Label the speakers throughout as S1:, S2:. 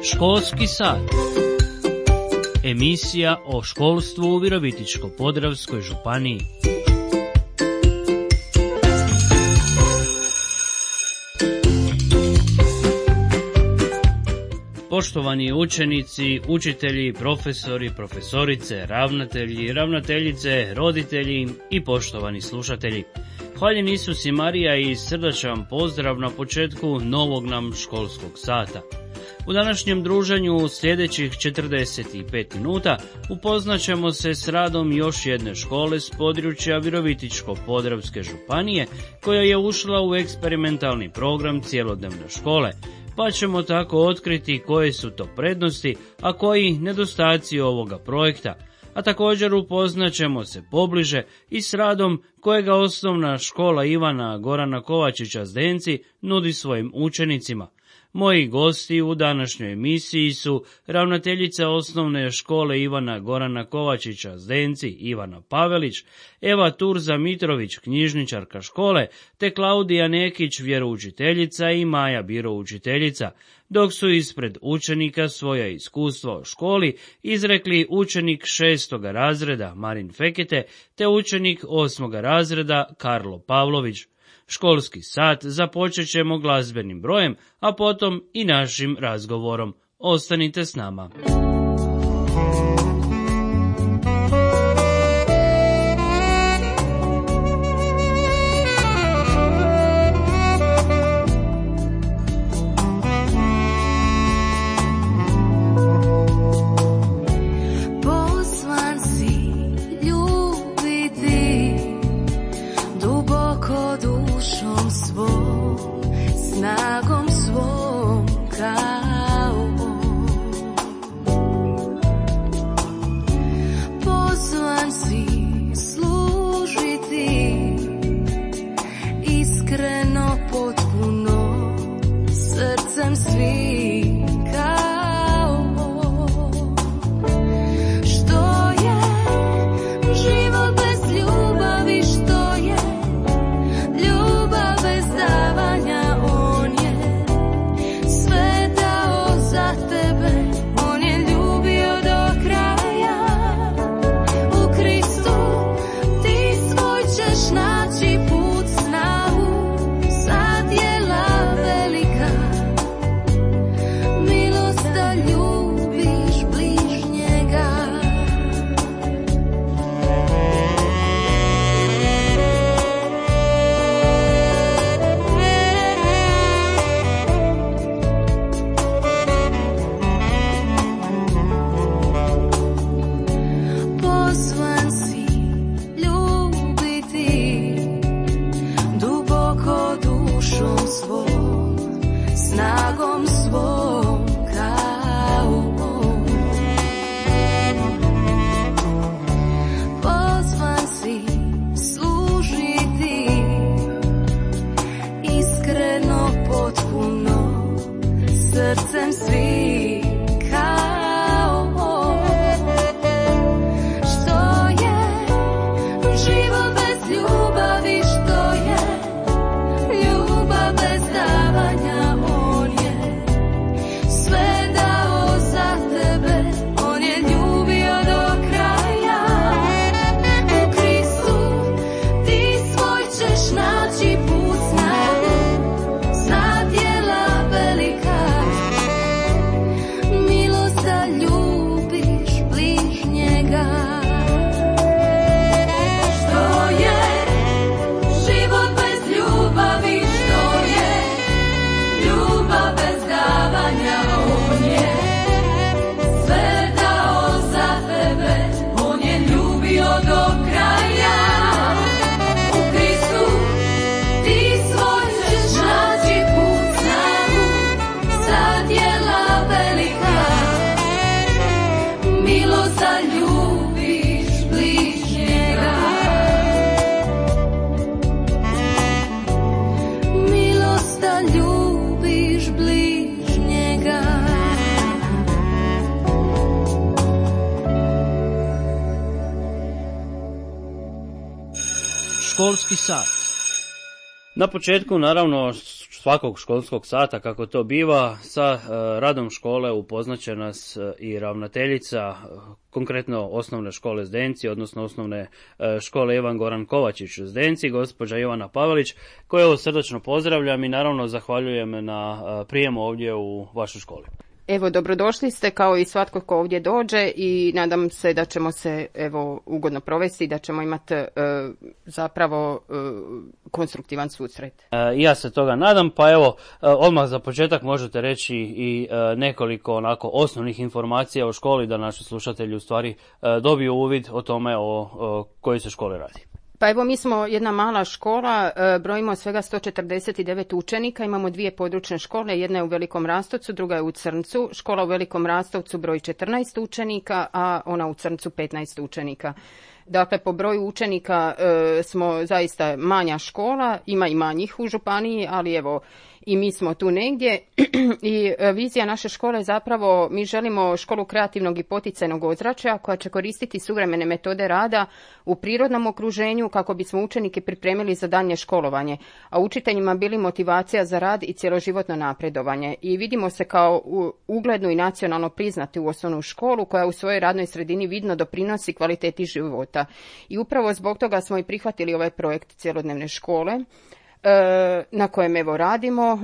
S1: Školski sat. Emisija o školstvu u Virovitičko-podravskoj županiji. Poštovani učenici, učitelji, profesori, profesorice, ravnatelji, ravnateljice, roditelji i poštovani slušatelji. Hvaljen Isus i Marija i srdačan pozdrav na početku novog nam školskog sata. U današnjem druženju u sljedećih 45 minuta upoznaćemo se s radom još jedne škole s područja Virovitičko-podravske županije koja je ušla u eksperimentalni program cjelodnevne škole, pa ćemo tako otkriti koje su to prednosti, a koji nedostaci ovoga projekta. A također upoznaćemo se pobliže i s radom kojega osnovna škola Ivana Gorana Kovačića Zdenci nudi svojim učenicima. Moji gosti u današnjoj emisiji su ravnateljica osnovne škole Ivana Gorana Kovačića Zdenci Ivana Pavelić, Eva Turza Mitrović, knjižničarka škole, te Klaudija Nekić, vjeroučiteljica i Maja Biro, učiteljica, dok su ispred učenika svoja iskustva o školi izrekli učenik 6. razreda Marin Fekete te učenik 8. razreda Karlo Pavlović. Školski sat započet ćemo glazbenim brojem, a potom i našim razgovorom. Ostanite s nama.
S2: Snagom svom kao pozvan si služiti iskreno, potpuno, srcem svim kao što je život bez ljubavi, što je ljubav bez davanja. Srcem svi kao što je život bez ljubavi, što je ljubav bez davanja. On je sve dao za tebe, on je ljubio do kraja. U Kristu ti svoj ćeš naći put snagu, sad je velika.
S1: Školski sat. Na početku, naravno, svakog školskog sata, kako to biva, sa radom škole upoznaće nas i ravnateljica, konkretno osnovne škole Zdenci, odnosno osnovne škole Ivan Goran Kovačić Zdenci, gospođa Ivana Pavelić, koju srdačno pozdravljam i naravno zahvaljujem na prijemu ovdje u vašoj školi.
S3: Evo, dobrodošli ste kao i svatko ko ovdje dođe i nadam se da ćemo se ugodno provesti i da ćemo imati zapravo konstruktivan susret.
S1: Ja se toga nadam, pa evo, odmah za početak možete reći i nekoliko onako osnovnih informacija o školi da naši slušatelji u stvari dobiju uvid o tome o kojoj se školi radi.
S3: Pa evo, mi smo jedna mala škola, brojimo svega 149 učenika, imamo 2 područne škole, jedna je u Velikom Rastovcu, druga je u Crncu. Škola u Velikom Rastovcu broji 14 učenika, a ona u Crncu 15 učenika. Dakle, po broju učenika smo zaista manja škola, ima i manjih u županiji, ali evo, i mi smo tu negdje i vizija naše škole je zapravo, mi želimo školu kreativnog i poticajnog ozračja koja će koristiti suvremene metode rada u prirodnom okruženju kako bismo učenike pripremili za daljnje školovanje, a učiteljima bili motivacija za rad i cjeloživotno napredovanje. I vidimo se kao uglednu i nacionalno priznatu osnovnu školu koja u svojoj radnoj sredini vidno doprinosi kvaliteti života. I upravo zbog toga smo i prihvatili ovaj projekt cjelodnevne škole na kojem evo radimo.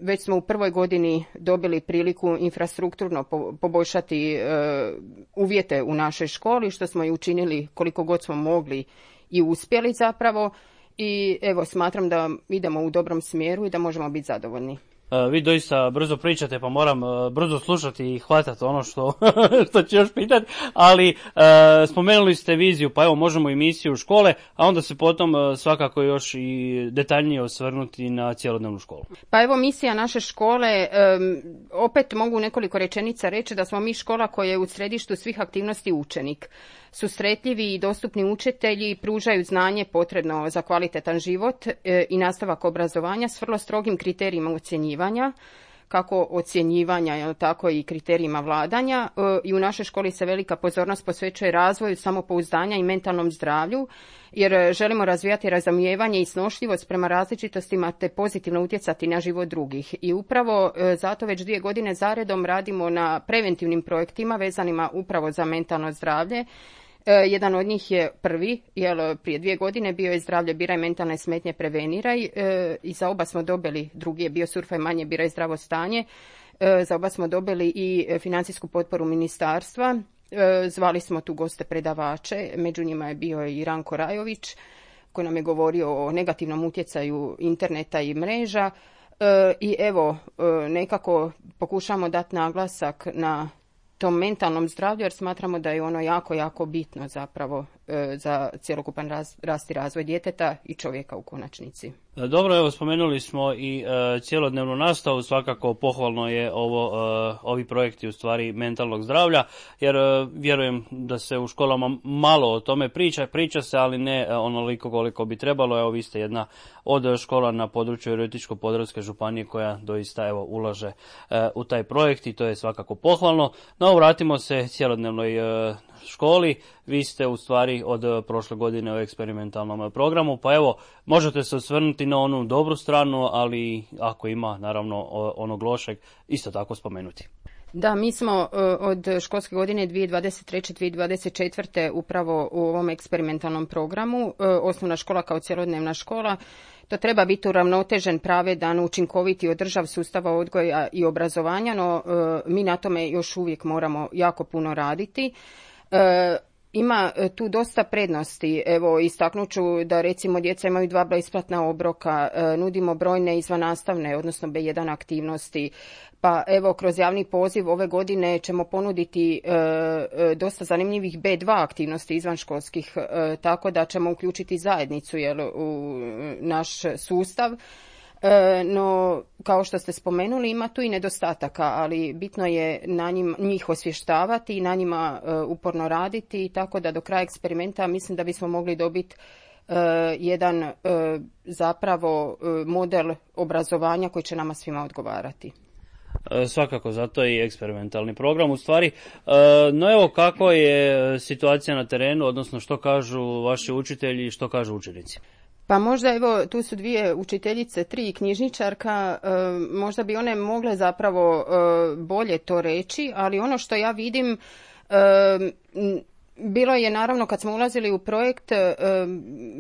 S3: Već smo u prvoj godini dobili priliku infrastrukturno poboljšati uvjete u našoj školi, što smo i učinili koliko god smo mogli i uspjeli zapravo. I evo, smatram da idemo u dobrom smjeru i da možemo biti zadovoljni.
S1: Vi doista brzo pričate, pa moram brzo slušati i hvatati ono što ću još pitati, ali spomenuli ste viziju, pa evo možemo i misiju škole, a onda se potom svakako još i detaljnije osvrnuti na cjelodnevnu školu.
S3: Pa evo, misija naše škole, opet mogu nekoliko rečenica reći da smo mi škola koja je u središtu svih aktivnosti učenik. Susretljivi i dostupni učitelji pružaju znanje potrebno za kvalitetan život i nastavak obrazovanja s vrlo strogim kriterijima ocjenjivanja, kako ocjenjivanja, tako i kriterijima vladanja. I u našoj školi se velika pozornost posvećuje razvoju samopouzdanja i mentalnom zdravlju, jer želimo razvijati razumijevanje i snošljivost prema različitostima te pozitivno utjecati na život drugih. I upravo zato već 2 godine zaredom radimo na preventivnim projektima vezanima upravo za mentalno zdravlje. Jedan od njih je prvi, jer prije 2 godine bio je zdravlje biraj, mentalne smetnje preveniraj, i za oba smo dobili, drugi je bio surfaj manje, biraj zdravo stanje, za oba smo dobili i financijsku potporu ministarstva. Zvali smo tu goste predavače, među njima je bio i Ranko Rajović koji nam je govorio o negativnom utjecaju interneta i mreža. I evo, nekako pokušamo dati naglasak na tom mentalnom zdravlju, jer smatramo da je ono jako, jako bitno zapravo za cjelokupan rast i razvoj djeteta i čovjeka u konačnici.
S1: Dobro, evo spomenuli smo i cjelodnevnu nastavu, svakako pohvalno je ovi projekti u stvari mentalnog zdravlja, jer vjerujem da se u školama malo o tome priča se, ali ne onoliko koliko bi trebalo. Evo, vi ste jedna od škola na području Virovitičko-podravske županije koja doista evo ulaže u taj projekt i to je svakako pohvalno. No, vratimo se cjelodnevnoj školi. Vi ste u stvari od prošle godine u eksperimentalnom programu, pa evo, možete se osvrnuti na onu dobru stranu, ali ako ima naravno onog lošeg, isto tako spomenuti.
S3: Da, mi smo od školske godine 2023-2024 upravo u ovom eksperimentalnom programu, osnovna škola kao cjelodnevna škola. To treba biti uravnotežen, pravedan, učinkovit i održiv sustav odgoja i obrazovanja, no mi na tome još uvijek moramo jako puno raditi. Ima tu dosta prednosti. Evo, istaknut ću da recimo djeca imaju 2 besplatna obroka, nudimo brojne izvannastavne, odnosno B1 aktivnosti. Pa evo, kroz javni poziv ove godine ćemo ponuditi dosta zanimljivih B2 aktivnosti izvanškolskih, tako da ćemo uključiti zajednicu u naš sustav. No, kao što ste spomenuli, ima tu i nedostataka, ali bitno je njih osvještavati i na njima uporno raditi, tako da do kraja eksperimenta mislim da bismo mogli dobiti jedan zapravo model obrazovanja koji će nama svima odgovarati.
S1: Svakako, zato i eksperimentalni program u stvari. No evo, kako je situacija na terenu, odnosno što kažu vaši učitelji i što kažu učenici?
S3: Pa možda evo tu su 2 učiteljice, 3 knjižničarka, možda bi one mogle zapravo bolje to reći, ali ono što ja vidim, bilo je naravno kad smo ulazili u projekt,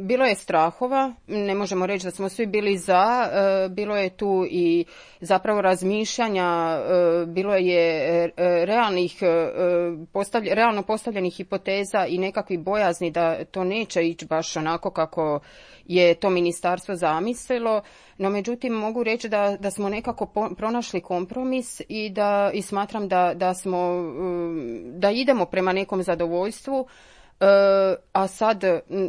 S3: bilo je strahova, ne možemo reći da smo svi bili za, bilo je tu i zapravo razmišljanja, bilo je realno postavljenih hipoteza i nekakvih bojazni da to neće ići baš onako kako je to ministarstvo zamislilo, no međutim mogu reći da smo nekako pronašli kompromis i smatram da idemo prema nekom zadovoljstvu, a sad,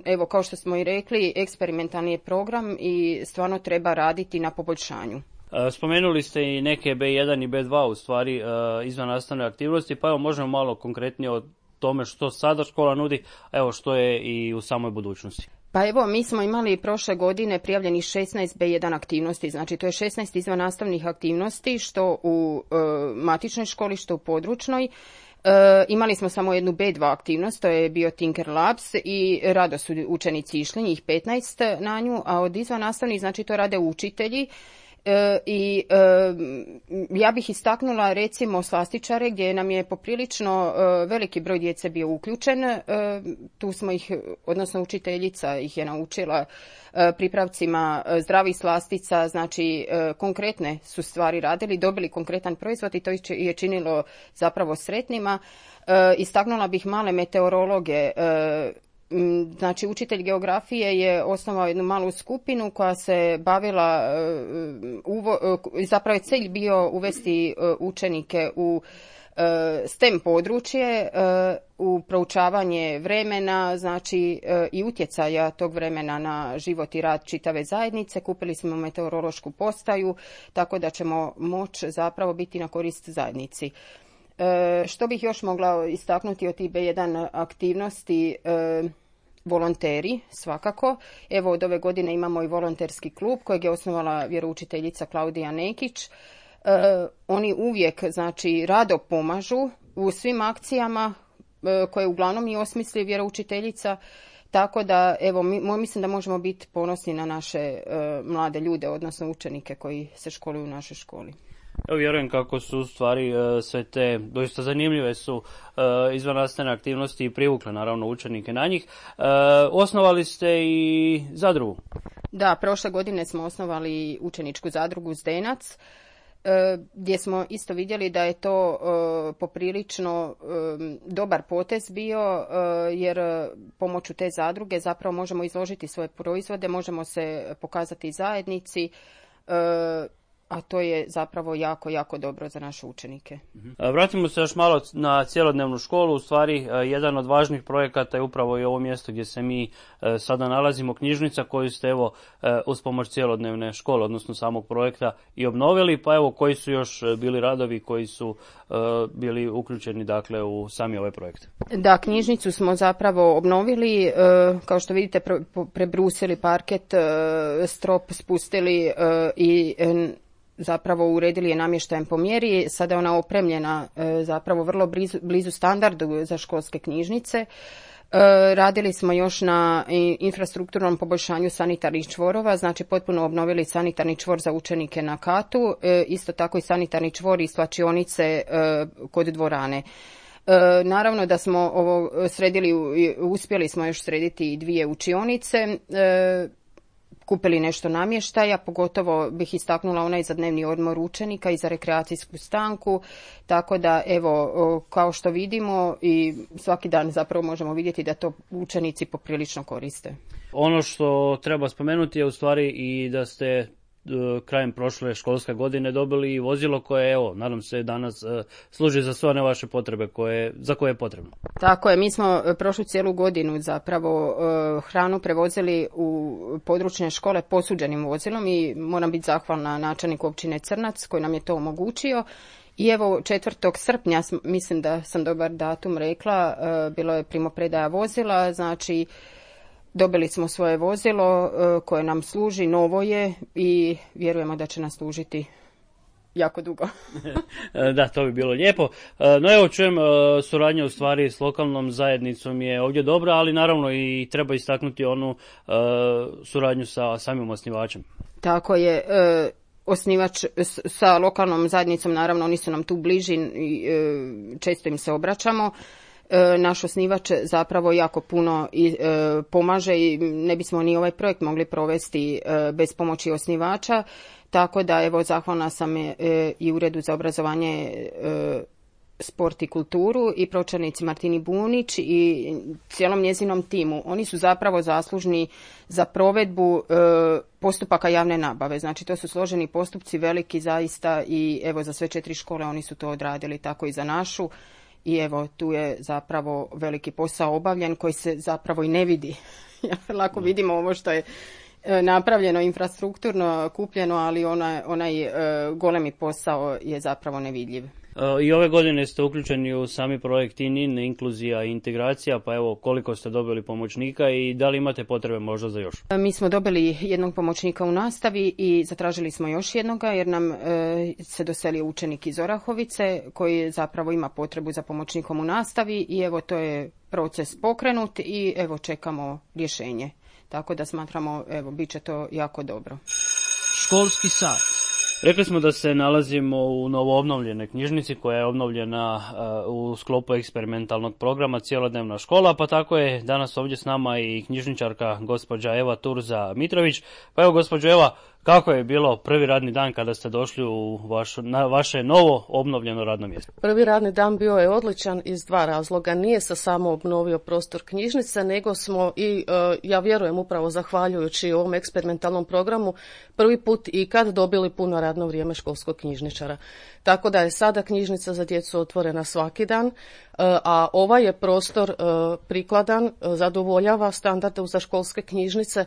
S3: evo kao što smo i rekli, eksperimentalni je program i stvarno treba raditi na poboljšanju.
S1: Spomenuli ste i neke B1 i B2 u stvari izvan nastavne aktivnosti, pa evo možemo malo konkretnije o tome što sada škola nudi, a evo što je i u samoj budućnosti.
S3: Pa evo, mi smo imali prošle godine prijavljenih 16 B1 aktivnosti, znači to je 16 izvan nastavnih aktivnosti, što u matičnoj školi, što u područnoj. Imali smo samo jednu B2 aktivnost, to je bio Tinker Labs i rado su učenici išli, njih 15 na nju, a od izvan nastavnih, znači to rade učitelji. I ja bih istaknula recimo slastičare gdje nam je poprilično veliki broj djece bio uključen, tu smo ih, odnosno učiteljica ih je naučila pripravcima zdravih slastica, znači konkretne su stvari radili, dobili konkretan proizvod i to je činilo zapravo sretnima. Istaknula bih male meteorologe. Znači, učitelj geografije je osnovao jednu malu skupinu koja se bavila, zapravo je cilj bio uvesti učenike u STEM područje, u proučavanje vremena, znači i utjecaja tog vremena na život i rad čitave zajednice. Kupili smo meteorološku postaju, tako da ćemo moći zapravo biti na korist zajednici. Što bih još mogla istaknuti od tih B1 aktivnosti? Volonteri, svakako. Evo od ove godine imamo i volonterski klub kojeg je osnovala vjeroučiteljica Klaudija Nekić. Oni uvijek, znači, rado pomažu u svim akcijama koje uglavnom i osmisli vjeroučiteljica. Tako da, evo, mislim da možemo biti ponosni na naše mlade ljude, odnosno učenike koji se školuju u našoj školi.
S1: Evo vjerujem kako su u stvari sve te doista zanimljive su izvannastavne aktivnosti i privukle naravno učenike na njih. Osnovali ste i zadrugu.
S3: Da, prošle godine smo osnovali učeničku zadrugu Zdenac, gdje smo isto vidjeli da je to poprilično dobar potez bio, jer pomoću te zadruge zapravo možemo izložiti svoje proizvode, možemo se pokazati zajednici, a to je zapravo jako, jako dobro za naše učenike.
S1: Vratimo se još malo na cjelodnevnu školu. U stvari, jedan od važnih projekata je upravo i ovo mjesto gdje se mi sada nalazimo, knjižnica koju ste evo uz pomoć cjelodnevne škole, odnosno samog projekta i obnovili. Pa evo, koji su još bili radovi koji su bili uključeni dakle u sami ovaj projekt?
S3: Da, knjižnicu smo zapravo obnovili, kao što vidite prebrusili parket, strop spustili i zapravo uredili je namještajem po mjeri. Sada je ona opremljena zapravo vrlo blizu standardu za školske knjižnice. Radili smo još na infrastrukturnom poboljšanju sanitarnih čvorova, znači potpuno obnovili sanitarni čvor za učenike na katu, isto tako i sanitarni čvor i svlačionice kod dvorane. Naravno da smo ovo uspjeli smo još srediti i 2 učionice, kupili nešto namještaja, pogotovo bih istaknula onaj za dnevni odmor učenika i za rekreacijsku stanku, tako da evo, kao što vidimo i svaki dan zapravo možemo vidjeti da to učenici poprilično koriste.
S1: Ono što treba spomenuti je u stvari i da ste krajem prošle školske godine dobili i vozilo koje, evo, nadam se danas služi za sve one vaše potrebe za koje je potrebno.
S3: Tako je, mi smo prošlu cijelu godinu zapravo hranu prevozili u područne škole posuđenim vozilom i moram biti zahvalna načelniku općine Crnac koji nam je to omogućio. I evo 4. srpnja, mislim da sam dobar datum rekla, bilo je primopredaja vozila, znači dobili smo svoje vozilo koje nam služi, novo je i vjerujemo da će nas služiti jako dugo.
S1: Da, to bi bilo lijepo. No evo, čujem, suradnja u stvari s lokalnom zajednicom je ovdje dobra, ali naravno i treba istaknuti onu suradnju sa samim osnivačem.
S3: Tako je, osnivač sa lokalnom zajednicom, naravno oni su nam tu bliži i često im se obraćamo. Naš osnivač zapravo jako puno pomaže i ne bismo ni ovaj projekt mogli provesti bez pomoći osnivača, tako da evo zahvalna sam i Uredu za obrazovanje, sport i kulturu i pročelnici Martini Bunić i cijelom njezinom timu. Oni su zapravo zaslužni za provedbu postupaka javne nabave. Znači to su složeni postupci, veliki zaista, i evo za sve 4 škole oni su to odradili, tako i za našu. I evo tu je zapravo veliki posao obavljen koji se zapravo i ne vidi. Lako vidimo ovo što je napravljeno, infrastrukturno kupljeno, ali onaj golemi posao je zapravo nevidljiv.
S1: I ove godine ste uključeni u sami projekt ININ, inkluzija i integracija, pa evo koliko ste dobili pomoćnika i da li imate potrebe možda za još?
S3: Mi smo dobili jednog pomoćnika u nastavi i zatražili smo još jednoga jer nam se doselio učenik iz Orahovice koji zapravo ima potrebu za pomoćnikom u nastavi i evo to je proces pokrenut i evo čekamo rješenje. Tako da smatramo, evo, bit će to jako dobro.
S1: Školski sat. Rekli smo da se nalazimo u novoobnovljenoj knjižnici koja je obnovljena u sklopu eksperimentalnog programa Cjelodnevna škola, pa tako je danas ovdje s nama i knjižničarka gospođa Eva Turza Mitrović. Pa evo gospođo Eva, kako je bilo prvi radni dan kada ste došli na vaše novo obnovljeno radno mjesto?
S4: Prvi radni dan bio je odličan iz 2 razloga. Nije se samo obnovio prostor knjižnice, nego smo i, ja vjerujem upravo zahvaljujući ovom eksperimentalnom programu, prvi put ikad dobili puno radno vrijeme školskog knjižničara. Tako da je sada knjižnica za djecu otvorena svaki dan, a ovaj je prostor prikladan, zadovoljava standarde za školske knjižnice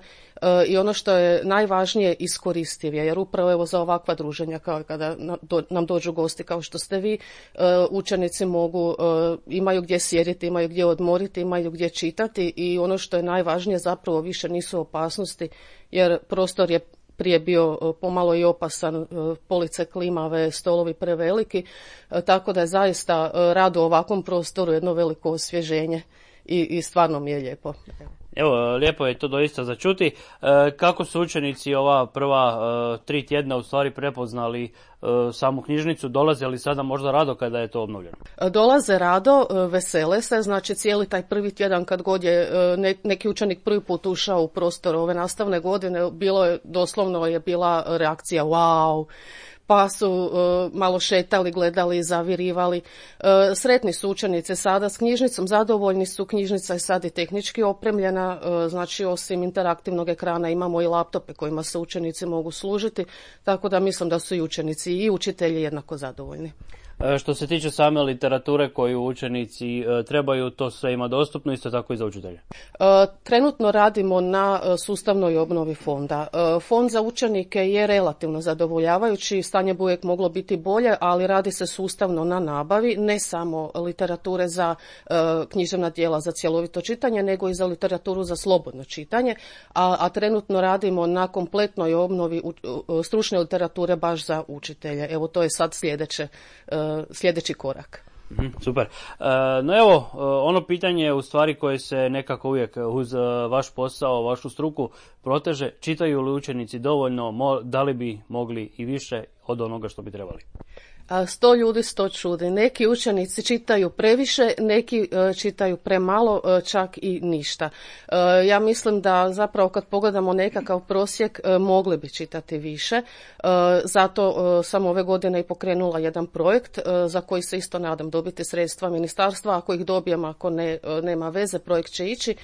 S4: i ono što je najvažnije iskoristiv je, jer upravo evo za ovakva druženja kao kada nam dođu gosti kao što ste vi, učenici imaju gdje sjediti, imaju gdje odmoriti, imaju gdje čitati i ono što je najvažnije zapravo više nisu opasnosti jer prostor je prije bio pomalo i opasan, police klimave, stolovi preveliki, tako da je zaista rad u ovakvom prostoru jedno veliko osvježenje i stvarno mi je lijepo.
S1: Evo, lijepo je to doista za čuti. Kako su učenici ova prva 3 tjedna u stvari prepoznali samu knjižnicu? Dolaze li sada možda rado kada je to obnovljeno?
S4: Dolaze rado, vesele se, znači cijeli taj prvi tjedan kad god je neki učenik prvi put ušao u prostor ove nastavne godine, doslovno je bila reakcija wow, pa su malo šetali, gledali, zavirivali. Sretni su učenici sada s knjižnicom, zadovoljni su, knjižnica je sad i tehnički opremljena, znači osim interaktivnog ekrana imamo i laptope kojima se učenici mogu služiti, tako da mislim da su i učenici i učitelji jednako zadovoljni.
S1: Što se tiče same literature koju učenici trebaju, to sve ima dostupno, isto tako i za učitelje?
S4: Trenutno radimo na sustavnoj obnovi fonda. Fond za učenike je relativno zadovoljavajući, stanje bi uvijek moglo biti bolje, ali radi se sustavno na nabavi, ne samo literature za književna djela za cjelovito čitanje, nego i za literaturu za slobodno čitanje, a trenutno radimo na kompletnoj obnovi stručne literature baš za učitelje. Evo to je sad sljedeći korak.
S1: Super. No evo, ono pitanje u stvari koje se nekako uvijek uz vaš posao, vašu struku proteže, čitaju li učenici dovoljno, da li bi mogli i više od onoga što bi trebali?
S4: 100 ljudi, 100 čudi. Neki učenici čitaju previše, neki čitaju premalo, čak i ništa. Ja mislim da zapravo kad pogledamo nekakav prosjek mogli bi čitati više. Zato sam ove godine i pokrenula jedan projekt za koji se isto nadam dobiti sredstva ministarstva. Ako ih dobijem, ako nema veze, projekt će ići.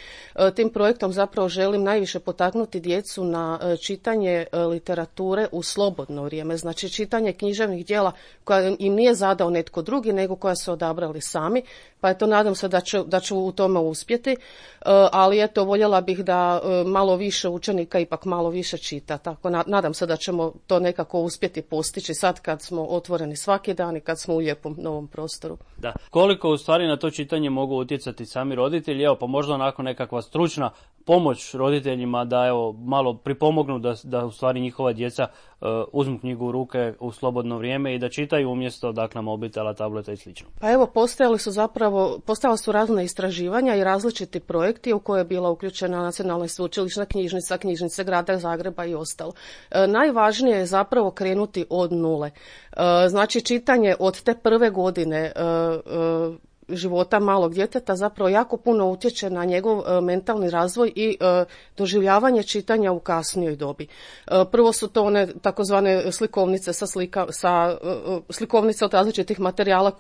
S4: Tim projektom zapravo želim najviše potaknuti djecu na čitanje literature u slobodno vrijeme. Znači čitanje književnih djela koja im nije zadao netko drugi, nego koja su odabrali sami, pa eto nadam se da ću u tome uspjeti, ali eto voljela bih da malo više učenika ipak malo više čita, tako nadam se da ćemo to nekako uspjeti postići sad kad smo otvoreni svaki dan i kad smo u lijepom novom prostoru.
S1: Da. Koliko u stvari na to čitanje mogu utjecati sami roditelji, evo pa možda onako nekakva stručna pomoć roditeljima da evo malo pripomognu da u stvari njihova djeca uzmu knjigu u ruke u slobodno vrijeme i da čitaju umjesto dakle mobitela, tableta i slično.
S4: Pa evo, postojala su razna istraživanja i različiti projekti u koje je bila uključena Nacionalna i sveučilišna knjižnica, knjižnice Grada Zagreba i ostalo. Najvažnije je zapravo krenuti od nule. Znači, čitanje od te prve godine života malog djeteta zapravo jako puno utječe na njegov mentalni razvoj i doživljavanje čitanja u kasnijoj dobi. Prvo su to one takozvane slikovnice slikovnice od različitih materijala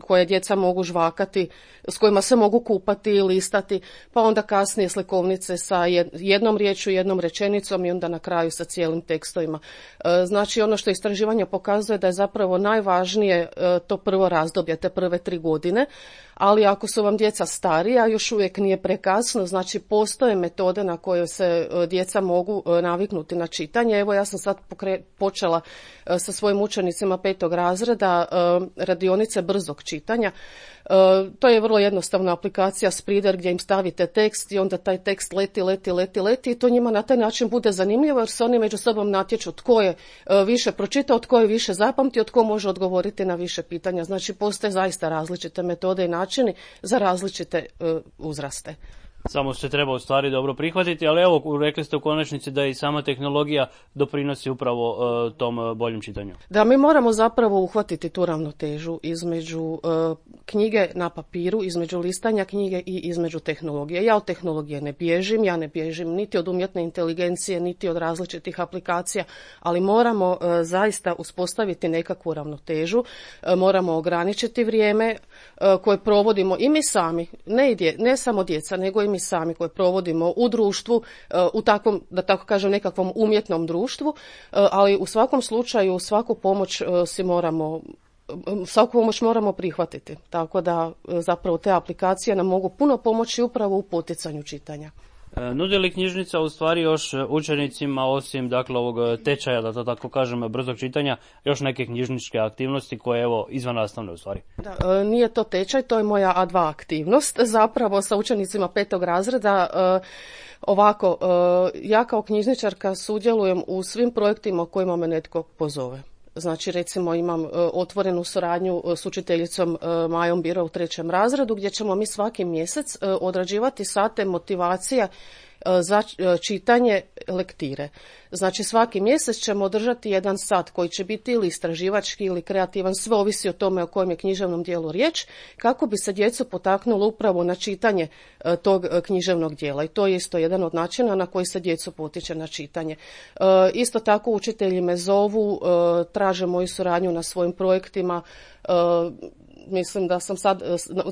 S4: koje djeca mogu žvakati, s kojima se mogu kupati i listati, pa onda kasnije slikovnice sa jednom riječju, jednom rečenicom i onda na kraju sa cijelim tekstovima. Znači, ono što istraživanje pokazuje da je zapravo najvažnije to prvo razdoblje, te prve 3 godine, ali ako su vam djeca starija, još uvijek nije prekasno, znači postoje metode na koje se djeca mogu naviknuti na čitanje. Evo, ja sam sad počela sa svojim učenicima 5. razreda radionice brzog čitanja. To je vrlo jednostavna aplikacija Spreeder gdje im stavite tekst i onda taj tekst leti i to njima na taj način bude zanimljivo jer se oni među sobom natječu tko je više pročitao, tko je više zapamtio, tko može odgovoriti na više pitanja. Znači, postoje zaista različite metode i načini za različite uzraste.
S1: Samo se treba u stvari dobro prihvatiti, ali evo, rekli ste u konačnici da i sama tehnologija doprinosi upravo tom boljem čitanju.
S4: Da, mi moramo zapravo uhvatiti tu ravnotežu između knjige na papiru, između listanja knjige i između tehnologije. Ja od tehnologije ne bježim niti od umjetne inteligencije, niti od različitih aplikacija, ali moramo zaista uspostaviti nekakvu ravnotežu, moramo ograničiti vrijeme koje provodimo i mi sami, ne samo djeca, nego i mi sami koje provodimo u društvu, u takvom, da tako kažem, nekakvom umjetnom društvu, ali u svakom slučaju svaku pomoć moramo prihvatiti. Tako da zapravo te aplikacije nam mogu puno pomoći upravo u poticanju čitanja.
S1: Nudi li knjižnica u stvari još učenicima, osim dakle ovog tečaja, da to tako kažem, brzog čitanja, još neke knjižničke aktivnosti koje evo izvan nastavne u stvari?
S4: Da, nije to tečaj, to je moja A2 aktivnost, zapravo sa učenicima 5. razreda. Ovako, ja kao knjižničarka sudjelujem u svim projektima u kojima me netko pozove. Znači, recimo, imam otvorenu suradnju s učiteljicom Majom Biro u 3. razredu gdje ćemo mi svaki mjesec odrađivati sate motivacija za čitanje lektire. Znači, svaki mjesec ćemo održati jedan sat koji će biti ili istraživački ili kreativan, sve ovisi o tome o kojem je književnom dijelu riječ, kako bi se djecu potaknulo upravo na čitanje tog književnog dijela. I to je isto jedan od načina na koji se djecu potiče na čitanje. Isto tako učitelji me zovu, traže moju suradnju na svojim projektima. Mislim da sam sad,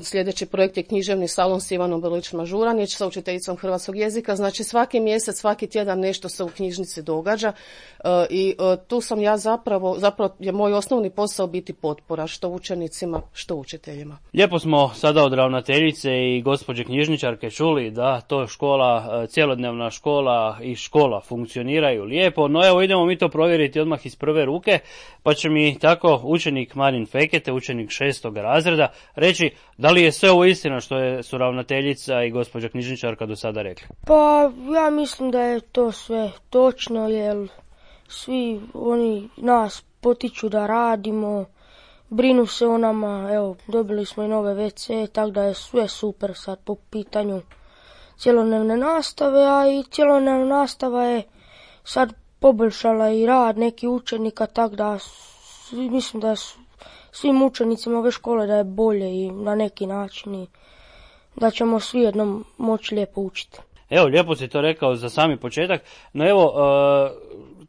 S4: sljedeći projekt je književni salon s Ivanom Brlić-Mažuranić sa učiteljicom hrvatskog jezika. Znači, svaki mjesec, svaki tjedan nešto se u knjižnici događa i tu sam ja zapravo je moj osnovni posao biti potpora što učenicima, što učiteljima.
S1: Lijepo smo sada od ravnateljice i gospođe knjižničarke čuli da to škola, cjelodnevna škola i škola funkcioniraju lijepo, no evo idemo mi to provjeriti odmah iz prve ruke, pa će mi tako učenik Marin Fekete, učenik 6. razreda, reći da li je sve ovo istina što su ravnateljica i gospođa knjižničarka do sada rekli.
S5: Pa ja mislim da je to sve točno, jer svi oni nas potiču da radimo, brinu se o nama, evo, dobili smo i nove WC, tako da je sve super sad po pitanju cjelodnevne nastave, a i cjelodnevna nastava je sad poboljšala i rad nekih učenika, tako da mislim da svim učenicima ove škole da je bolje i na neki način i da ćemo svi jednom moći lijepo učiti.
S1: Evo, lijepo si to rekao za sami početak, no evo,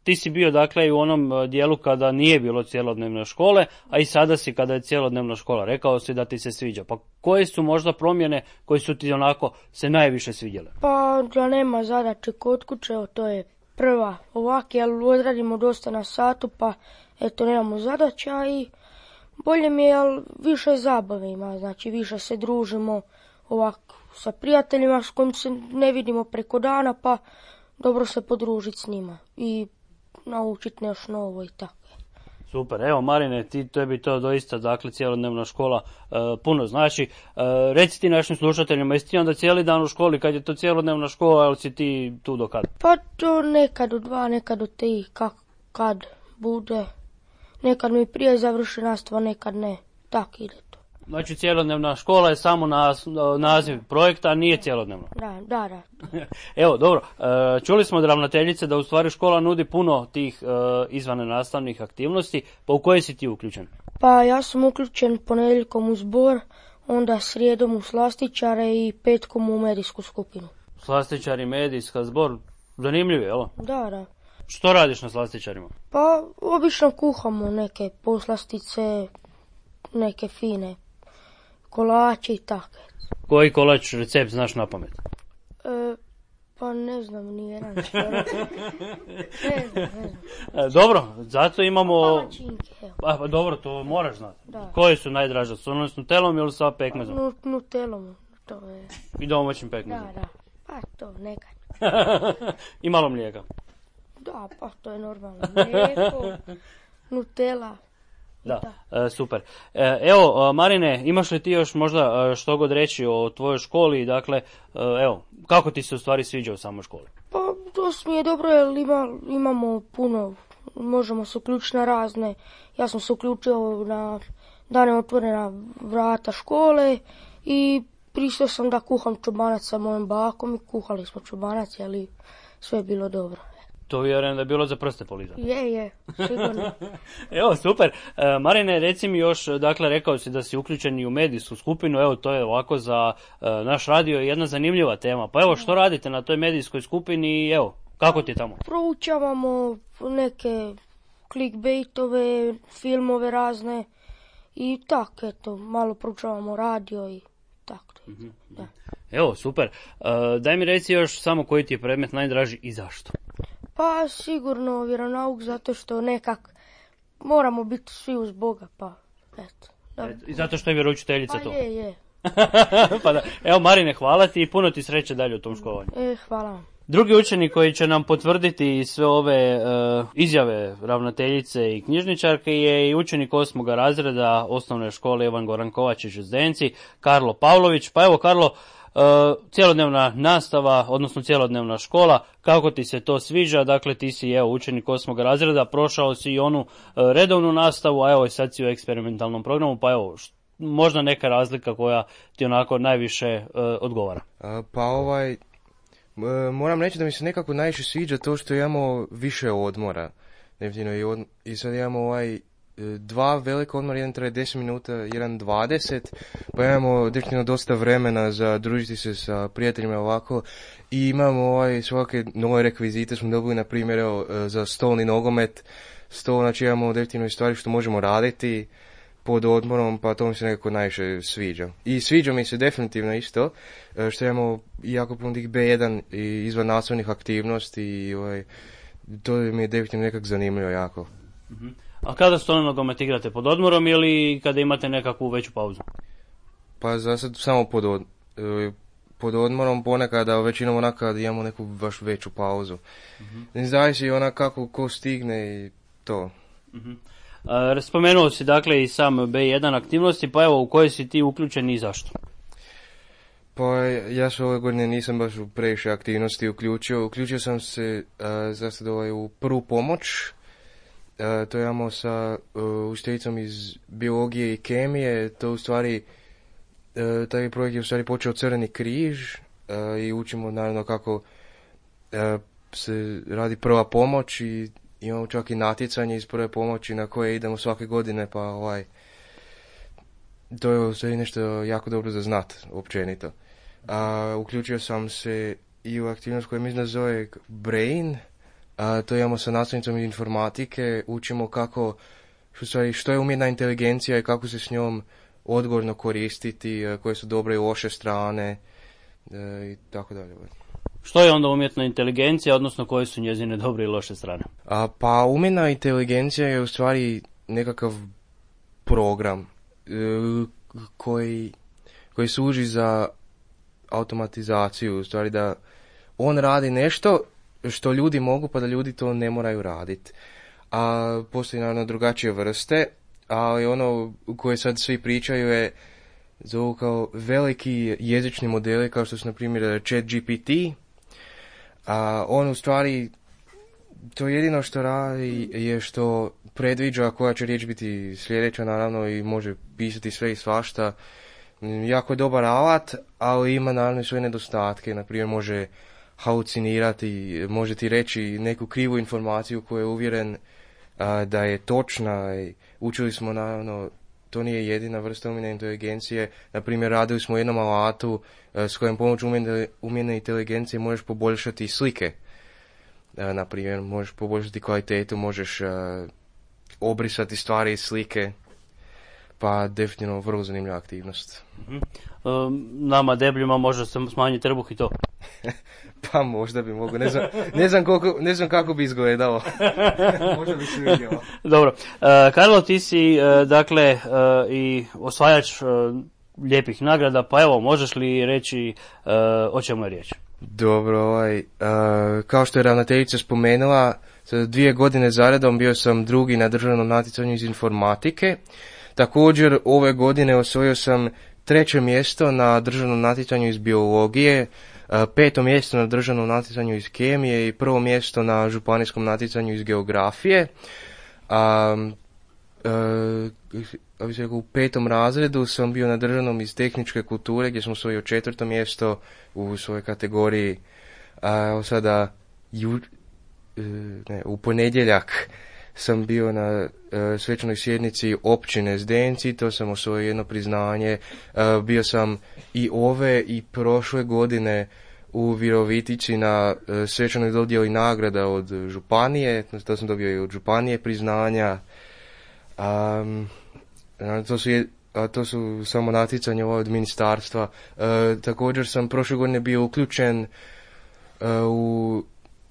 S1: ti si bio dakle i u onom dijelu kada nije bilo cjelodnevne škole, a i sada si kada je cjelodnevna škola. Rekao si da ti se sviđa. Pa koje su možda promjene koje su ti onako se najviše svidjele?
S5: Pa da nema zadaće kod kuće, to je prva ovak, jer odradimo dosta na satu, pa eto nemamo zadaća i bolje mi je, jer više zabave ima, znači više se družimo ovako sa prijateljima s kojim se ne vidimo preko dana, pa dobro se podružiti s njima i naučiti nešto novo i tako.
S1: Super, evo Marine, tebi to doista, dakle, cjelodnevna škola puno znači. Reci ti našim slušateljima, jesi ti onda cijeli dan u školi, kad je to cjelodnevna škola, ali si ti tu do kada?
S5: Pa to nekad u 2, nekad u 3, kad bude. Nekad mi prije završi nastava, nekad ne. Tak ide to.
S1: Znači cjelodnevna škola je samo naziv projekta, a nije cjelodnevno.
S5: Da.
S1: Evo, dobro, čuli smo od ravnateljice da u stvari škola nudi puno tih izvan nastavnih aktivnosti, pa u koje si ti uključen?
S5: Pa ja sam uključen ponedjeljkom u zbor, onda srijedom u slastičare i petkom u medijsku skupinu.
S1: Slastičari, medijska, zbor, zanimljivo, jel?
S5: Da.
S1: Što radiš na slastičarima?
S5: Pa obično kuhamo neke poslastice, neke fine kolače i tako.
S1: Koji kolač recept znaš na pamet?
S5: Pa ne znam, nijedan skoro. Ne znam.
S1: Dobro, zato imamo...
S5: Palačinke, evo.
S1: Pa dobro, to moraš znati.
S5: Da.
S1: Koje su najdraže? Su one s nutelom ili sa pekmezom?
S5: Nutelom, to je.
S1: I domaćim pekmezom?
S5: Da. Pa to nekad.
S1: I malo mlijeka?
S5: Da, pa to je normalno. Mlijeko, Nutela.
S1: Da, super. Evo, Marine, imaš li ti još možda što god reći o tvojoj školi? Dakle, evo, kako ti se u stvari sviđa u samoj školi?
S5: Pa to mi je dobro jer imamo puno, možemo se uključiti na razne. Ja sam se uključio na dane otvorena vrata škole i pristao sam da kuham čobanac sa mojim bakom i kuhali smo čobanac, ali sve je bilo dobro.
S1: To vjerujem da je bilo za prste polizati.
S5: Je, sigurno.
S1: Evo, super. Marine, reci mi još, dakle, rekao si da si uključen i u medijsku skupinu, evo, to je ovako za naš radio jedna zanimljiva tema. Pa evo, što radite na toj medijskoj skupini i evo, kako ti je tamo?
S5: Proučavamo neke clickbaitove, filmove razne i tako, eto, malo proučavamo radio i tako. Da.
S1: Evo, super. Daj mi reci još samo koji ti je predmet najdraži i zašto?
S5: Pa sigurno vjeronauk, zato što nekak moramo biti svi uz Boga, pa eto.
S1: I zato što je vjeroučiteljica
S5: Pa
S1: tu.
S5: je.
S1: Pa da. Evo Marine, hvala ti i puno ti sreće dalje u tom školovanju.
S5: Hvala vam.
S1: Drugi učenik koji će nam potvrditi sve ove izjave ravnateljice i knjižničarke je i učenik 8. razreda osnovne škole Ivan Goran Kovačić u Zdenci, Karlo Pavlović. Pa evo Karlo, cjelodnevna nastava, odnosno cjelodnevna škola, kako ti se to sviđa? Dakle, ti si učenik 8. razreda, prošao si i onu redovnu nastavu, a evo i sad si u eksperimentalnom programu, pa evo, možda neka razlika koja ti onako najviše odgovara?
S6: Moram reći da mi se nekako najviše sviđa to što imamo više odmora. I sad imamo dva velika odmora, jedan traje 10 minuta, jedan 20, pa imamo definitivno dosta vremena za družiti se sa prijateljima ovako i imamo svake nove rekvizite smo dobili, na primjer za stolni nogomet, znači imamo definitivno stvari što možemo raditi pod odmorom, pa to mi se nekako najviše sviđa. I sviđa mi se definitivno isto što imamo jako puno tih B1 i izvan nastavnih aktivnosti i to mi je definitivno nekako zanimljivo jako.
S1: A kada stolni nogomet igrate, pod odmorom ili kada imate nekakvu veću pauzu?
S6: Pa za sad samo pod odmorom, ponekad, a većinom onako kad imamo neku baš veću pauzu. Ne zavisi onako kako ko stigne i to.
S1: Spomenuo si dakle i sam B1 aktivnosti, pa evo u koje si ti uključen i zašto?
S6: Pa ja se ove godine nisam baš u previše aktivnosti uključio. Uključio sam se za sad u prvu pomoć. To imamo sa učiteljicom iz biologije i kemije. To u stvari, taj projekt je u stvari počeo Crveni križ i učimo naravno kako se radi prva pomoć i imamo čak i natjecanje iz prve pomoći na koje idemo svake godine, pa to je u stvari nešto jako dobro za znat općenito. Uključio sam se i u aktivnost koja mislim da zove Brain. To imamo sa nastavnicom informatike, učimo kako, što je umjetna inteligencija i kako se s njom odgovorno koristiti, koje su dobre i loše strane i tako dalje.
S1: Što je onda umjetna inteligencija, odnosno koje su njezine dobre i loše strane?
S6: Pa umjetna inteligencija je u stvari nekakav program koji služi za automatizaciju, u stvari da on radi nešto što ljudi mogu, pa da ljudi to ne moraju raditi. a postoji naravno drugačije vrste, ali ono koje sad svi pričaju je zovu kao veliki jezični modeli kao što su na primjer ChatGPT, a on u stvari to jedino što radi je što predviđa koja će riječ biti sljedeća naravno i može pisati sve i svašta. Jako je dobar alat, ali ima naravno i svoje nedostatke, na primjer može halucinirati, može ti reći neku krivu informaciju koju je uvjeren da je točna. Učili smo naravno, to nije jedina vrsta umjetne inteligencije, na primjer radili smo u jednom alatu s kojim pomoću umjetne inteligencije možeš poboljšati slike. Na primjer, možeš poboljšati kvalitetu, možeš obrisati stvari iz slike, pa definitivno vrlo zanimljiva aktivnost.
S1: Nama debljima može se smanjiti trbuh i to.
S6: Pa možda bi mogu, ne znam kako bi izgledalo. Možda bi se vidjelo.
S1: Dobro, Karlo, ti si dakle i osvajač lijepih nagrada, pa evo, možeš li reći o čemu je riječ?
S6: Dobro, kao što je ravnateljica spomenula, 2 godine zaredom bio sam drugi na državnom natjecanju iz informatike. Također ove godine osvojio sam 3. mjesto na državnom natjecanju iz biologije, 5. mjesto na državnom natjecanju iz kemije i 1. mjesto na županijskom natjecanju iz geografije. U 5. razredu sam bio na državnom iz tehničke kulture gdje sam osvojio 4. mjesto u svojoj kategoriji. Sada u ponedjeljak sam bio na svečanoj sjednici općine Zdenci, to sam osvojio jedno priznanje. Bio sam i ove i prošle godine u Virovitici na svečanoj dodjeli nagrada od županije, to sam dobio i od županije priznanja. To su samo natjecanje od ministarstva. Također sam prošle godine bio uključen u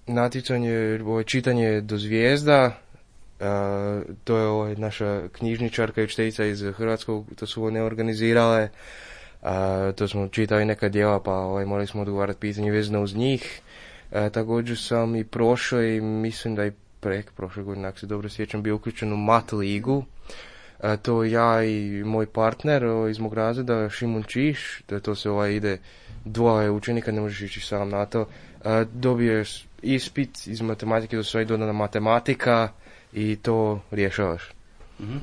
S6: natjecanje čitanje do zvijezda. To je naša knjižničarka i učiteljica iz Hrvatskog, to su one organizirale. To smo čitali neka djela, pa morali smo odgovarati pitanje vezano uz njih. Također sam i prošle i mislim da i prošle godine, ako se dobro sjećam, bio uključen u mat ligu. To ja i moj partner iz mog razreda, Šimun Čiš, da to se ide 2 učenika, ne možeš ići sam na to. Dobiješ ispit iz matematike, to sve dodana matematika i to rješavaš. Mm-hmm.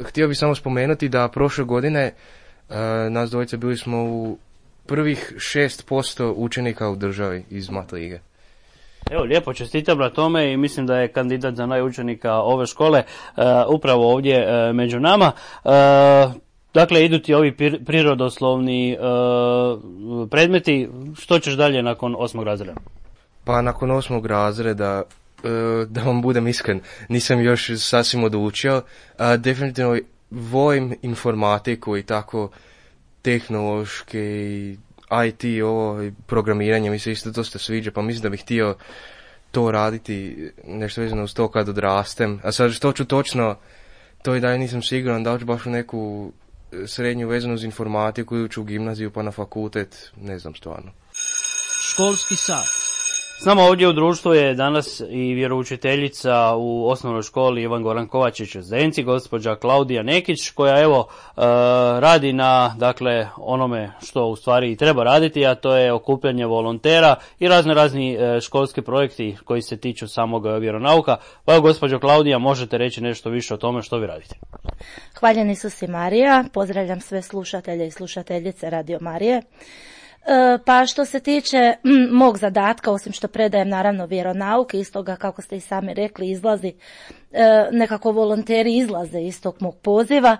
S6: Htio bih samo spomenuti da prošle godine nas dvojice bili smo u prvih 6% učenika u državi iz mat lige.
S1: Evo, lijepo, čestitam na tome i mislim da je kandidat za najučenika ove škole upravo ovdje među nama. Dakle, idu ti ovi prirodoslovni predmeti. Što ćeš dalje nakon 8. razreda?
S6: Pa nakon 8. razreda, da vam budem iskren, nisam još sasvim odlučio. Definitivno volim informatiku i tako tehnološke i IT, programiranje mi se isto dosta sviđa, pa mislim da bih htio to raditi, nešto vezano uz to kad odrastem. A sad što ću točno, to i dalje nisam siguran, da ću baš u neku srednju vezanu uz informatiku ili ću u gimnaziju pa na fakultet, ne znam stvarno.
S1: Školski sat. S nama ovdje u društvu je danas i vjeroučiteljica u osnovnoj školi Ivan Goran Kovačić u Zdenci, gospođa Klaudija Nekić, koja evo radi na onome što u stvari treba raditi, a to je okupljanje volontera i razni školski projekti koji se tiču samog vjeronauka. Pa evo, gospođo Klaudija, možete reći nešto više o tome što vi radite?
S7: Hvaljen Isus i Marija, pozdravljam sve slušatelje i slušateljice Radio Marije. Pa što se tiče mog zadatka, osim što predajem naravno vjeronauk, iz toga kako ste i sami rekli izlazi, nekako volonteri izlaze iz tog mog poziva.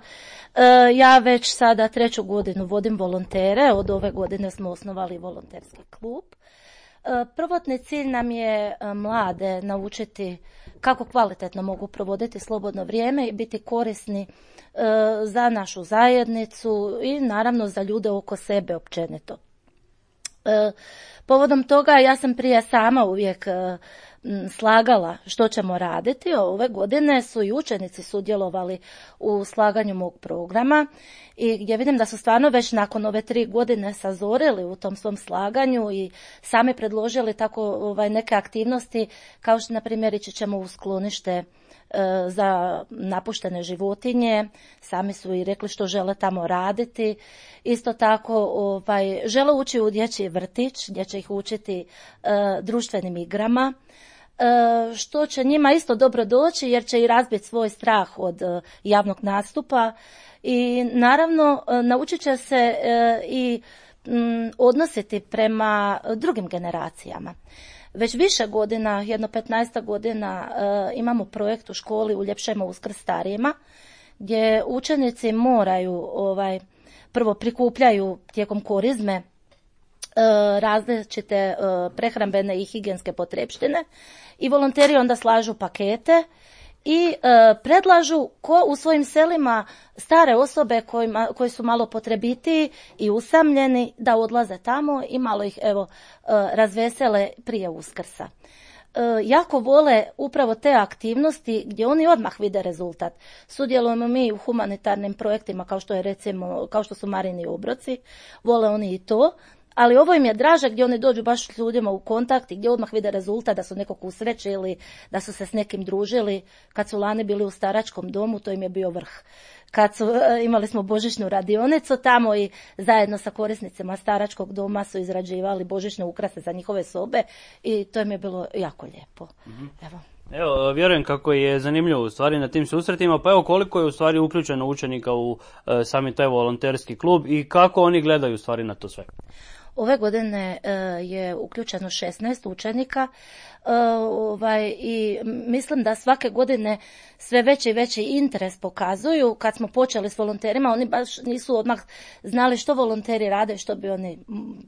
S7: Ja već sada 3. godinu vodim volontere, od ove godine smo osnovali volonterski klub. Prvotni cilj nam je mlade naučiti kako kvalitetno mogu provoditi slobodno vrijeme i biti korisni za našu zajednicu i naravno za ljude oko sebe općenito. Povodom toga ja sam prije sama uvijek slagala što ćemo raditi. Ove godine su i učenici sudjelovali u slaganju mog programa i gdje vidim da su stvarno već nakon ove 3 godine sazorili u tom svom slaganju i sami predložili tako neke aktivnosti, kao što na primjer ići ćemo u sklonište za napuštene životinje, sami su i rekli što žele tamo raditi. Isto tako žele ući u dječji vrtić gdje će ih učiti društvenim igrama, što će njima isto dobro doći jer će i razbiti svoj strah od javnog nastupa i naravno naučit će se i odnositi prema drugim generacijama. Već više godina, jedno 15 godina, imamo projekt u školi Uljepšajmo Uskrs starijima, gdje učenici moraju, prvo prikupljaju tijekom korizme različite prehrambene i higijenske potrepštine i volonteri onda slažu pakete i predlažu ko u svojim selima stare osobe koji su malo potrebitiji i usamljeni da odlaze tamo i malo ih razvesele prije Uskrsa. Jako vole upravo te aktivnosti gdje oni odmah vide rezultat. Sudjelujemo mi u humanitarnim projektima kao što su Marini obroci, vole oni i to. Ali ovo im je draže gdje oni dođu baš s ljudima u kontakt i gdje odmah vide rezultat da su nekog usrećili, da su se s nekim družili. Kad su lani bili u staračkom domu, to im je bio vrh. Imali smo božićnu radionicu tamo i zajedno sa korisnicima staračkog doma su izrađivali božićne ukrase za njihove sobe i to im je bilo jako lijepo.
S1: Evo, vjerujem kako je zanimljivo u stvari na tim susretima, pa evo koliko je u stvari uključeno učenika u sami taj volonterski klub i kako oni gledaju u stvari na to sve?
S7: Ove godine je uključeno 16 učenika i mislim da svake godine sve veći i veći interes pokazuju. Kad smo počeli s volonterima, oni baš nisu odmah znali što volonteri rade, što bi oni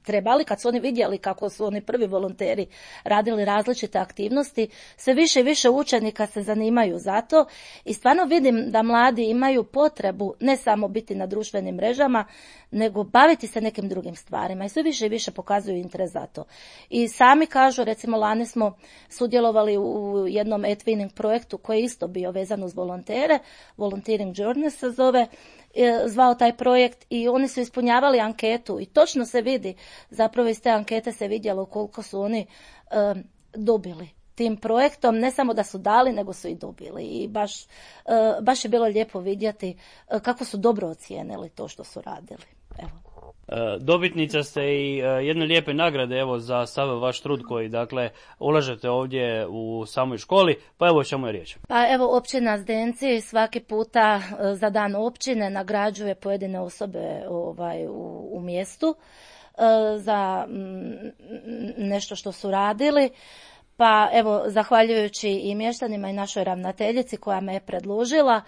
S7: trebali. Kad su oni vidjeli kako su oni prvi volonteri radili različite aktivnosti, sve više i više učenika se zanimaju za to i stvarno vidim da mladi imaju potrebu ne samo biti na društvenim mrežama, nego baviti se nekim drugim stvarima i sve više i više pokazuju interes za to. I sami kažu, recimo lani smo sudjelovali u jednom e-twinning projektu koji je isto bio vezan uz volontere, Volunteering Journey se zvao taj projekt i oni su ispunjavali anketu i točno se vidi, zapravo iz te ankete se vidjelo koliko su oni dobili tim projektom, ne samo da su dali, nego su i dobili i baš je bilo lijepo vidjeti kako su dobro ocijenili to što su radili. Evo.
S1: Dobitnica ste i jedne lijepe nagrade za sav vaš trud koji dakle ulažete ovdje u samoj školi, pa evo o čemu je riječ.
S7: Pa evo općina Zdenci svaki puta za dan općine nagrađuje pojedine osobe u mjestu za nešto što su radili. Pa evo, zahvaljujući i mještanima i našoj ravnateljici koja me je predložila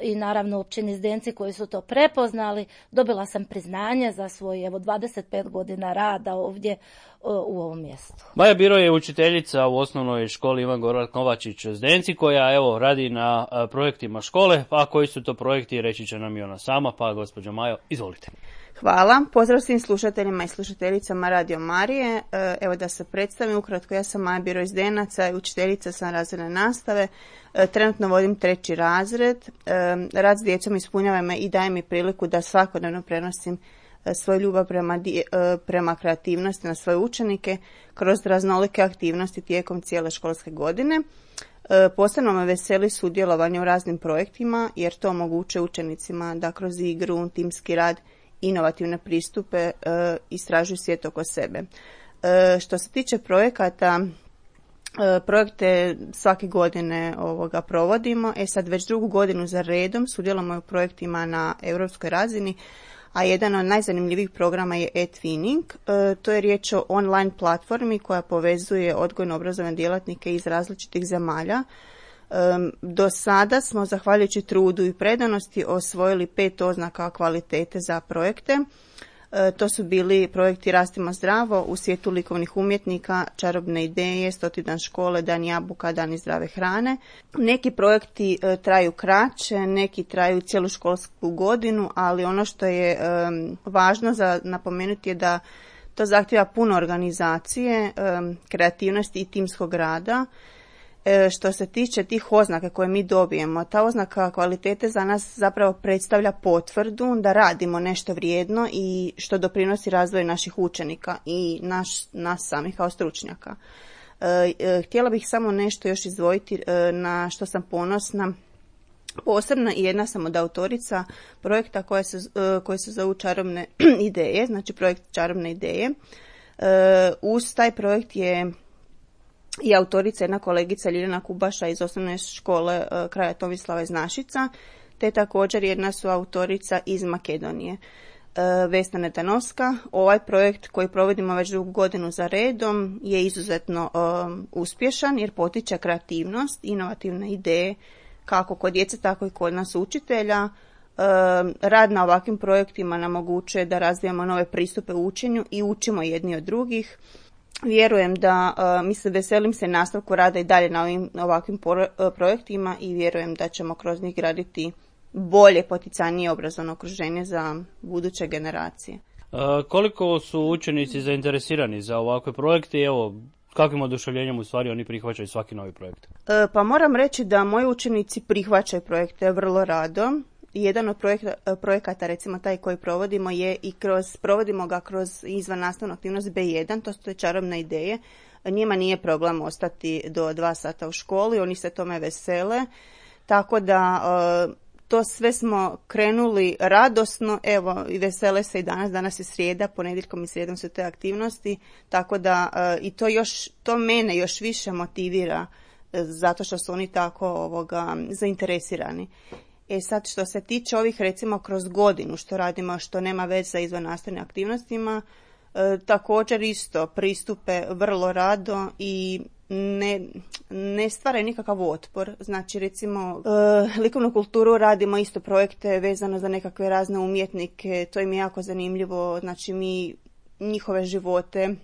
S7: i naravno općini Zdenci koji su to prepoznali, dobila sam priznanje za svoj 25 godina rada ovdje u ovom mjestu.
S1: Maja Biro je učiteljica u osnovnoj školi Ivan Gorak Novačić Zdenci koja radi na projektima škole, pa koji su to projekti reći će nam i ona sama, pa gospođo Majo, izvolite.
S8: Hvala, pozdrav svim slušateljima i slušateljicama Radio Marije. Evo da se predstavim ukratko, ja sam Maja Biro iz Zdenaca i učiteljica sam razredne nastave. Trenutno vodim 3. razred. Rad s djecom ispunjava me i daje mi priliku da svakodnevno prenosim svoju ljubav prema kreativnosti na svoje učenike kroz raznolike aktivnosti tijekom cijele školske godine. Posebno me veseli sudjelovanje u raznim projektima jer to omogućuje učenicima da kroz igru, timski rad, inovativne pristupe istražuju svijet oko sebe. Što se tiče projekata, projekte svake godine provodimo. Sad već 2. godinu za redom sudjelujemo u projektima na europskoj razini, a jedan od najzanimljivijih programa je e-twinning. To je riječ o online platformi koja povezuje odgojno-obrazovne djelatnike iz različitih zemalja. Do sada smo, zahvaljujući trudu i predanosti, osvojili 5 oznaka kvalitete za projekte. To su bili projekti Rastimo zdravo, U svijetu likovnih umjetnika, Čarobne ideje, 100. dan škole, Dan jabuka, Dani zdrave hrane. Neki projekti traju kraće, neki traju cijelu školsku godinu, ali ono što je važno za napomenuti je da To zahtjeva puno organizacije, kreativnosti i timskog rada. Što se tiče tih oznaka koje mi dobijemo, ta oznaka kvalitete za nas zapravo predstavlja potvrdu da radimo nešto vrijedno i što doprinosi razvoju naših učenika i nas samih kao stručnjaka. Htjela bih samo nešto još izdvojiti na što sam ponosna. Posebno i jedna sam od autorica projekta koji se zovu Čarobne ideje, znači projekt Čarobne ideje. Uz taj projekt je i autorica jedna kolegica Ljiljana Kubaša iz osnovne škole kraja Tomislava iz Našica, te također jedna su autorica iz Makedonije, Vesna Netanovska. Ovaj projekt koji provodimo već drugu godinu za redom je izuzetno uspješan jer potiče kreativnost, inovativne ideje kako kod djece, tako i kod nas učitelja. Rad na ovakvim projektima nam omogućuje da razvijamo nove pristupe u učenju i učimo jedni od drugih. Vjerujem da, veselim se nastavku rada i dalje na ovakvim projektima i vjerujem da ćemo kroz njih graditi bolje, poticajnije obrazovno okruženje za buduće generacije.
S1: Koliko su učenici zainteresirani za ovakve projekte i evo, kakvim oduševljenjem u stvari oni prihvaćaju svaki novi projekt? Pa
S8: moram reći da moji učenici prihvaćaju projekte vrlo rado. Jedan od projekata, recimo taj koji provodimo, je i provodimo ga kroz izvan nastavnu aktivnost B1, to su Čarobne ideje. Njima nije problem ostati do 2 sata u školi, oni se tome vesele, tako da to sve smo krenuli radosno, evo i vesele se i danas je srijeda, ponedjeljkom i srijedom su te aktivnosti, tako da i to mene još više motivira zato što su oni tako zainteresirani. Sad što se tiče ovih recimo kroz godinu što radimo, što nema veze sa izvannastavnim aktivnostima, također isto pristupe vrlo rado i ne stvaraju nikakav otpor. Znači recimo likovnu kulturu radimo isto projekte vezano za nekakve razne umjetnike, to im je jako zanimljivo, znači mi njihove živote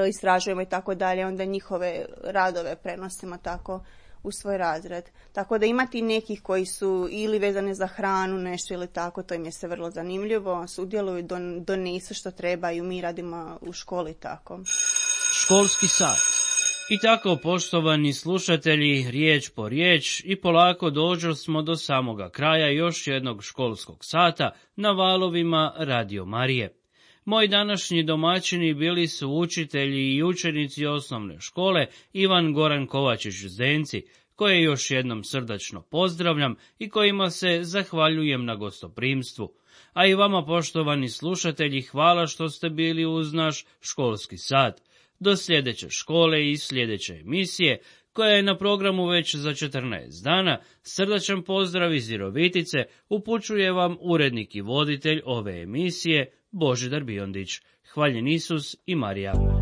S8: istražujemo i tako dalje, onda njihove radove prenosimo tako u svoj razred. Tako da imati nekih koji su ili vezane za hranu, nešto ili tako, to im je se vrlo zanimljivo, sudjeluju, donesu što trebaju, mi radimo u školi tako.
S1: Školski sat. I tako, poštovani slušatelji, riječ po riječ i polako dođo smo do samoga kraja još jednog školskog sata na valovima Radio Marije. Moji današnji domaćini bili su učitelji i učenici osnovne škole Ivan Goran Kovačić Zdenci, koje još jednom srdačno pozdravljam i kojima se zahvaljujem na gostoprimstvu. A i vama, poštovani slušatelji, hvala što ste bili uz naš školski sat. Do sljedeće škole i sljedeće emisije, koja je na programu već za 14 dana, srdačan pozdrav iz Virovitice upućuje vam urednik i voditelj ove emisije Božidar Biondić. Hvaljen Isus i Marija.